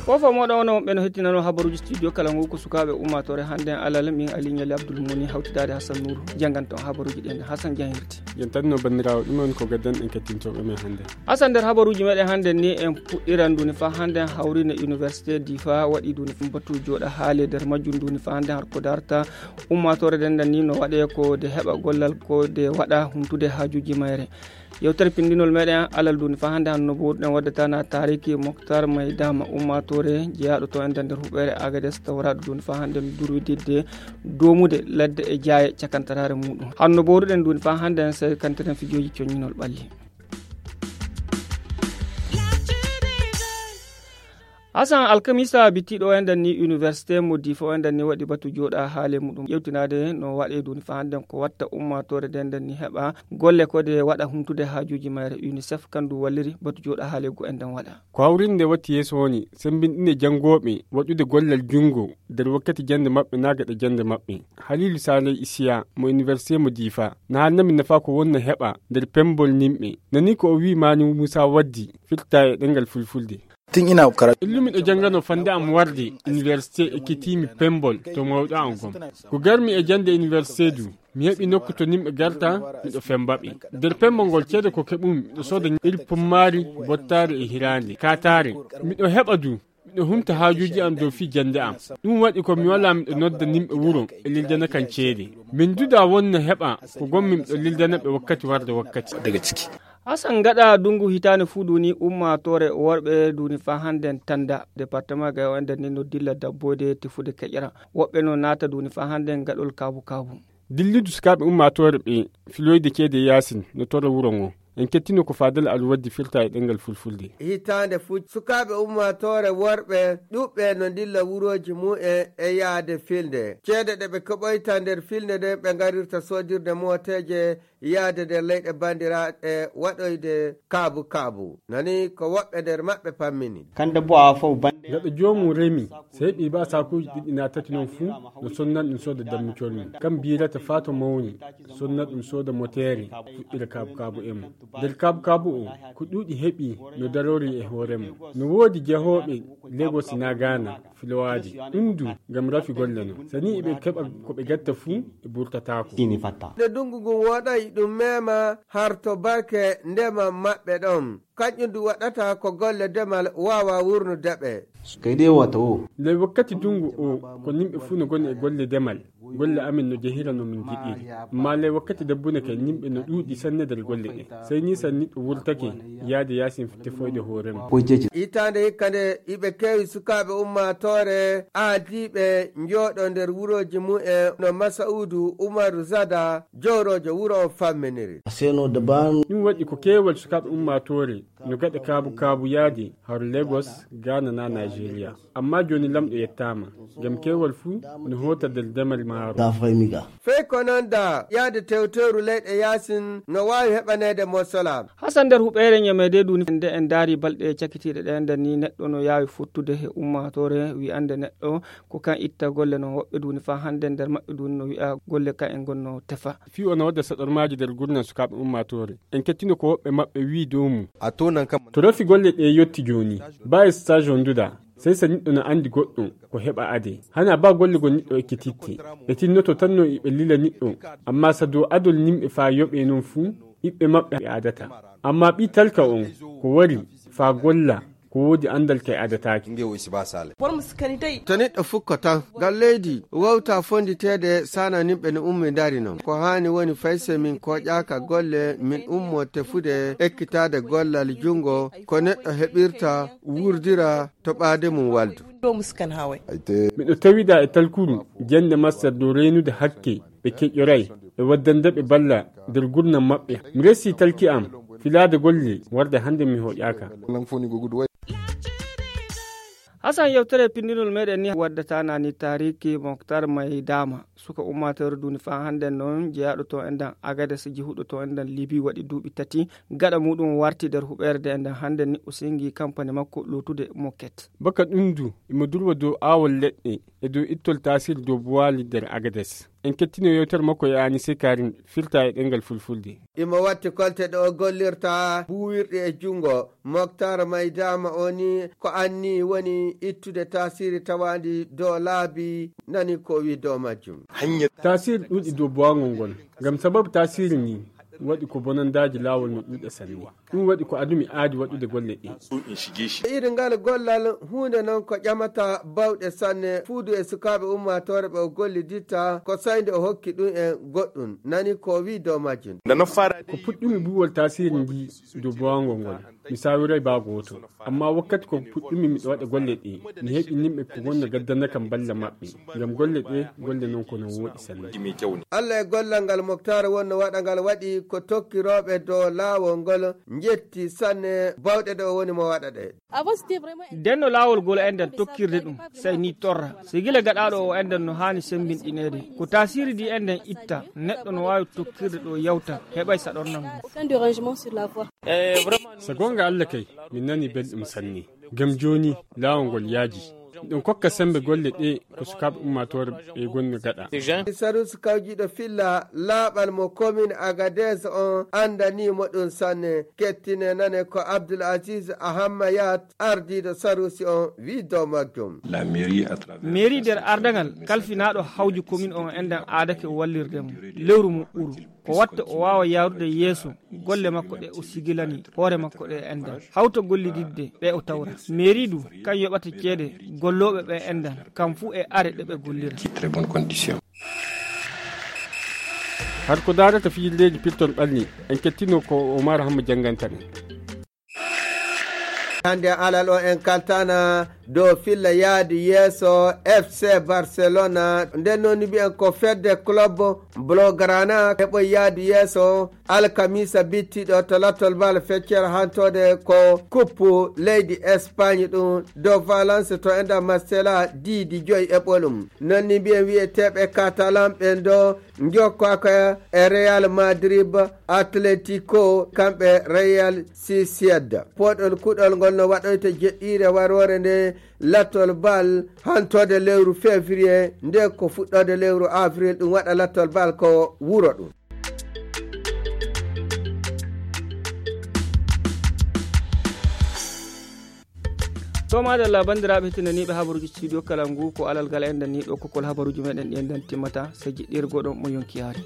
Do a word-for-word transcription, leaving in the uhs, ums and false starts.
Fofo moɗo ono ɓeno hettinano habaruji studio kala ngu ko sukaaɓe ummaatoore hannde alal min aliñali abdoul moni hawtidaade hassan nouru jannganto habaruji ɗen hassan jahirti. Yentanno banndiraawo ɗum on ko gaddan en kettintoɓe men hannde. Hassan nder habaruji meɗen hannde ni en puɗɗiran duni fa hannde hawrine université difa waɗi duni batu joɗa haale nder majjum duni fa hannde har ko darta ummaatoore denden ni no waɗe ko de heɓa gollal ko de waɗa humtude haajuji mayre. Yewtere pindinol meɗen alal duni fa hannde hanno bo ɗen waddata na tariki moktar maydama ummaatoore jeyaɗo to enden nder huɓɓere agades tawraɗo duni fa hannde no durwididde domude ladde e jaaye cakantarare muɗum hanno bo ruɗen duni fa hannde en sey kantiren fijoji coñinol ɓalli. Hasan alkamisa bittiɗo o enden ni université mo difa o enden ni waɗi batu joɗa haale muɗum ƴewtinade no waɗe duni fa hannde ko watta ummatore de enden ni heɓa golle ko de waɗa humtude haajuji mayre unicef kandu walliri batu joɗa haale go enden waɗa. Ko hawrinde watti yeeso woni sembinɗinde janngooɓe waɗude gollal junngo nder wakkati jannde maɓɓe naa gaɗa jannde maɓɓe. Haliilu Saaley Isiya mo iniwersite mo Diifa na haalnami nafaa ko wonnoo heɓa nder pemmbol nimɓe. Nani ko o wiyi Maani Muusaa Waddi firtaa e ɗemngal Fulfulde. Illumi ɗo jannganoo fannde am warde iniwersite ekkitiimi pemmbol to mawɗo am gom. Ko garmi e jannde iniwersite du. Mi heɓi nokku to nimɓe garta miɗo femba ɓe nder pembo ngol ceede ko keɓumi miɗo sooda iri pummaari bottaari e hiraande kaataare. Miɗo heɓa du miɗo humta haajuuji am dow fii jannde am. Ɗum waɗi ko mi walaa miɗo nodda nimɓe wuro e lildana kan ceede. Min duda wonna heɓa ko gommi miɗo lildana ɓe wakkati warde wakkati. Hasan gaɗa dungu hitaande fuu duni ummaatoore worɓe duni faa hannden tannda departement gay o ender ni no dilla dabboyde tefude keƴra. Woɓɓe no naata duni faa hannden gaɗol kaabu kaabu. Dilludu sukaaɓe ummaatoore ɓe filoyde ceede yaasin no tora wuro ngo. En kettino ko faadal alwaddi firta e ɗemngal fulfulde. Hitaande fuu sukaaɓe ummaatoore worɓe ɗuɓɓe no ndilla wurooji mumen e yahde filnde ceede ɗe ɓe keɓoyta nder filnde nden ɓe ngarirta soodirde mooteeje yahde nder leyɗe banndiraaɗe waɗoyde kaabu kaabu. Nani ko woɓɓe nder maɓɓe pammini. Kande bo a fof bannde gaɗa joomum remi so heɓi ba saakuuji ɗiɗi naa tati noon fuu no sonna ɗum sooda dammucol mum kam mbiyirata faa to mawni sonna ɗum sooda moteere fuɗɗira kaabu kaabu e mum. Nder kaabu kaabu o ko ɗuuɗi heɓi no darori e hoore mum. No woodi jehooɓe Lagos naa Gaana filowaade ɗum du ngam rafi golle no sani iɓe keɓa ko ɓe gatta fuu ɓe burtataako. Nde ndungu ngun woɗay ɗum meema har to barke ndema maɓɓe ɗon. Kanƴum du waɗata ko golle demal waawa wurnude ɓe. Kay ɗe wata o. Ley wakkati dungu o ko nimɓe fuu no goni e golle demal. Golle amin no jehira no min ngiɗiri. Amma ley wakkati dabbune kay nimɓe no ɗuuɗi sanne nder golle ɗe. Sey ni san niɗɗo wurtake yaade yaasin tefoyde hoore mum. Hitaande hikka nde iɓe keewi sukaaɓe ummaatoore aadiiɓe njooɗo nder wurooji mumen no masa'uudu umaru zada jowroojo wuro on famminiri. Ɗum waɗi ko keewal sukaaɓe ummaatoore no gaɗa kaabu kaabu yaade har Lagos, Gaana naa Nigeria. Amma jooni lamɗo yettaama ngam keewal fuu no hoota nder demal maaro. Fey ko noon da yaade tewtewru leyɗe yaasin no waawi heɓaneede mosola. Hasan nder huɓeere ñameede duni nde en ndaari balɗe cakitiiɗe ɗe nden ni neɗɗo no yaawi fottude he ummaatoore wi'ande neɗɗo ko kan itta golle no woɓɓe duni faa hannde nder maɓɓe duni no wi'a golle kan en gonno tefa. Fii o no wadda saɗormaaji nder gurnal sukaaɓe ummaatoore. En kettino ko woɓɓe maɓɓe wi'i dow mum. To rafi golle ɗe yotti jooni baa e stage on duda. Sey sa niɗɗo no anndi goɗɗo ko heɓa ade hana baa golle go niɗɗo ekkititte. Ɓe tinnoto tan no iɓe lila niɗɗo. Amma sa dow adol nimɓe faa yoɓe non fuu ɓiɓɓe maɓɓe ɓe adata. Amma ɓii talka on ko wari faa golla ko woodi anndal kay adataake. To niɗɗo fukko tan ngal leydi wawta fonditeede sana nimɓe no ummi ndari non ko haani woni fay se min koƴaaka golle min ummo tefude ekkitaade gollal junngo ko neɗɗo heɓirta wurdira to ɓaade mum waldu. Miɗo tawida e talkuru jannde master dow reenude hakke ɓe keƴƴoray e waddande ɓe balla nder gurnam maɓɓe. Mi resi talki am filaade golle warde hannde mi hoƴaaka. Asan, yewtere pinndinol meɗen ni waddata nani taariki Moktar Maydama, suka ummaatoore duuni faa hannden noon, jeyaaɗo to enɗan Agades, jihuɗo to enɗan Libi, waɗi duuɓi tati. Gaɗa muuɗum warti nder huɓeere nde enɗan hannden ni, o sengi kampani makko lootude Moket. Baka ɗum du, imo durwa dow aawol leɗɗe e dow ittol taasiri dow buwaali nder Agades. En kettino yewtere makko e Anise Karim, firta e ɗemngal Fulfulde. Imo watti kolte ɗe o gollirta buuwirɗe e junngo. Moktar Maydama o ni ko anni woni ittude taasiri tawaandi dow laabi, nani ko o wi dow majjum. Taasiri ɗuuɗi dow buwangol ngol. Ngam sababu taasiri ni waɗi ko bonandaaji laawol no ɗuuɗa sanne. Ɗum waɗi ko adumi aadi waɗude golle ɗe. Iri ngal gollal huunde noon ko ƴamata bawɗe sanne, fuudu e sukaaɓe ummaatoore ɓe o golliditta, ko saa'i nde o hokki ɗum en goɗɗum, nani ko o wi dow majjum. Ko puɗɗumi buuwol taasiri ndi dow buwangol ngol, mi saawiray baa gooto. Amma wakkati ko puɗɗumi miɗo waɗa golle ɗe, mi heɓi nimɓe ko wonno gaddana kam balla maɓɓe. Ngam golle ɗe, golle noon ko no wooɗi sanne. Allah e gollal ngal Moktaar wonno waɗa ngal waɗi ko tokkirooɓe dow laawol ngol njetti sanne bawɗe ɗe o woni mo waɗa ɗe. Denno laawol ngol enɗan tokkirde ɗum, sey ni torra. Si gila gaɗaaɗo o enɗan no haani semmbinɗineede. Ko taasiri ndi enɗan itta, neɗɗo no waawi tokkirde ɗo yawta, heɓay saɗornal ngol. So goonga Allah kay, min nani belɗum sanne. Ngam jooni, laawol ngol yaaji. Ɗum kokka semmbe golle ɗe ko sukaaɓe ummaatoore ɓe gonni gaɗa. Sarusi kawjiiɗo filla laaɓal mo komin Agadez on anndanii mo ɗum sanne. Kettine nane ko Abdul Aziz Ahammayat, ardiiɗo Sarusi on, wi dow majjum. Mairie nder ardangal kalfinaaɗo hawju komin on enɗan aadake wallirde mo. Lewru mo ɓuru. Ko watta o waawa yaarude yeeso golle makko ɗe o sigilani hoore makko ɗe enɗan. Hawta gollididde ɓe o tawra. Mairie du, kan yoɓata ceede gollooɓe ɓe enɗan, kam fuu e are ɗe ɓe gollira. Har ko daarata fijirleeji pirtol ɓalli, en kettino ko Omar Hamma jannganta ɗen. Hannde alal o en kaltana dow filla yaadu yeeso F C Barcelona. Nden noon mbiyen ko fedde club Blaugrana heɓoy yaadu yeeso alkamisa bittiɗo to lattol bal feccere hantoode ko kuppu leydi Espagne ɗum dow Valence to enda Marsella diidi joyi e ɓolum. Noon ni mbiyen wiyeteeɓe Catalan ɓen ɗo njokkaaka e Real Madrid, Atletico, kamɓe Real Sociedad. Poɗol kuɗol ngol no waɗoyta jeɗɗiire waroore nde lattol bal hantoode lewru février, nde ko fuɗɗoode lewru avril, ɗum waɗa lattol bal ko wuro ɗum. To madalla, banndiraaɓe heɗtinaniiɓe habaruuji studio kala ngu, ko alal ngal enɗan ni ɗo kokol habaruuji meɗen ɗi enɗan timmata, sey jiɗɗirgo ɗon mo yonki yaari.